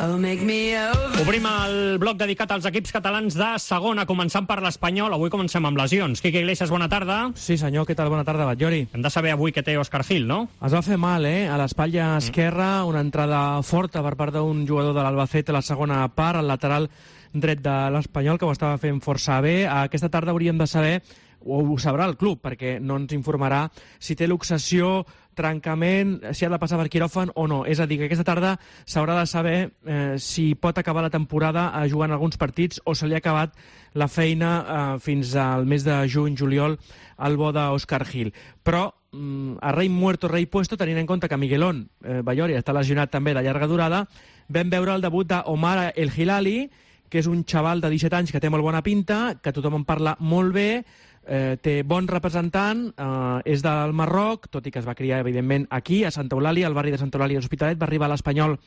Obrim el bloc dedicat als equips catalans de segona, començant per l'Espanyol. Avui comencem amb lesions. Quique Iglesias, bona tarda. Sí, senyor, què tal? Bona tarda, Batllori. Hem de saber avui què té Òscar Gil, no? Es va fer mal, a l'espatlla esquerra, una entrada forta per part d'un jugador de l'Albacete a la segona part, al lateral dret de l'Espanyol, que ho estava fent força bé. Aquesta tarda hauríem de saber, o ho sabrà el club, perquè no ens informarà si té luxació, trencament, si ha de passar per quiròfan o no. És a dir, que aquesta tarda s'haurà de saber si pot acabar la temporada jugant alguns partits o se li ha acabat la feina fins al mes de juny-juliol al bo d'Òscar Gil. Però a rei muerto, rei puesto, tenint en compte que Miguelón Batllori està lesionat també de llarga durada, vam veure el debut d'Omar El Hilali, que és un xaval de 17 anys que té molt bona pinta, que tothom en parla molt bé, té bon representant, és del Marroc, tot i que es va criar, evidentment, aquí, a Santa Eulàlia, al barri de Santa Eulàlia d'Hospitalet, va arribar a l'Espanyol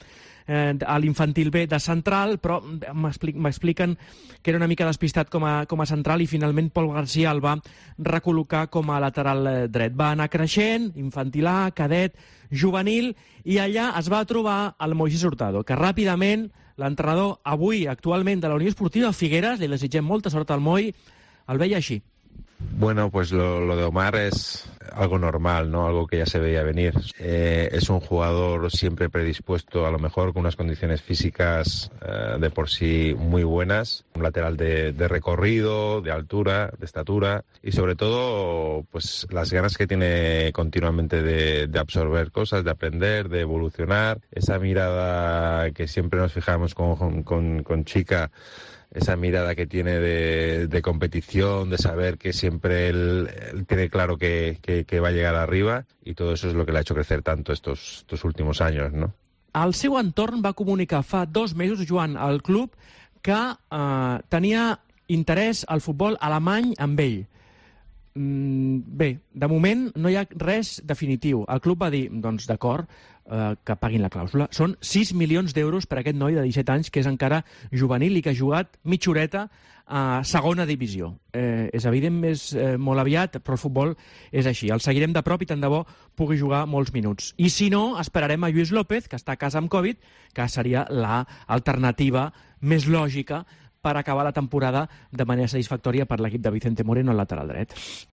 a l'infantil B de central, però m'expliquen que era una mica despistat com a central i finalment Pol García el va recol·locar com a lateral dret. Va anar creixent, infantil A, cadet, juvenil, i allà es va trobar el Moisés Hurtado, que ràpidament l'entrenador avui, actualment, de la Unió Esportiva Figueres, li desitgem molta sort al Moi, el veia així. Bueno, pues lo de Omar es algo normal, ¿no? Algo que ya se veía venir. Es un jugador siempre predispuesto, a lo mejor con unas condiciones físicas de por sí muy buenas, un lateral de recorrido, de altura, de estatura y sobre todo pues las ganas que tiene continuamente de absorber cosas, de aprender, de evolucionar, esa mirada que siempre nos fijamos con Chica, esa mirada que tiene de competición, de saber que siempre él tiene claro que va a llegar arriba, y todo eso es lo que le ha hecho crecer tanto estos últimos años, ¿no? El seu entorn va comunicar fa 2 mesos, Joan, al club, que tenia interès al futbol alemany amb ell. Bé, de moment no hi ha res definitiu. El club va dir, doncs d'acord, que paguin la clàusula. Són 6 milions d'euros per aquest noi de 17 anys, que és encara juvenil i que ha jugat mitja horeta a segona divisió. És evident, és molt aviat, però el futbol és així. El seguirem de prop i tant de bo pugui jugar molts minuts. I si no, esperarem a Lluís López, que està a casa amb Covid, que seria l'alternativa més lògica per acabar la temporada de manera satisfactòria per l'equip de Vicente Moreno al lateral dret.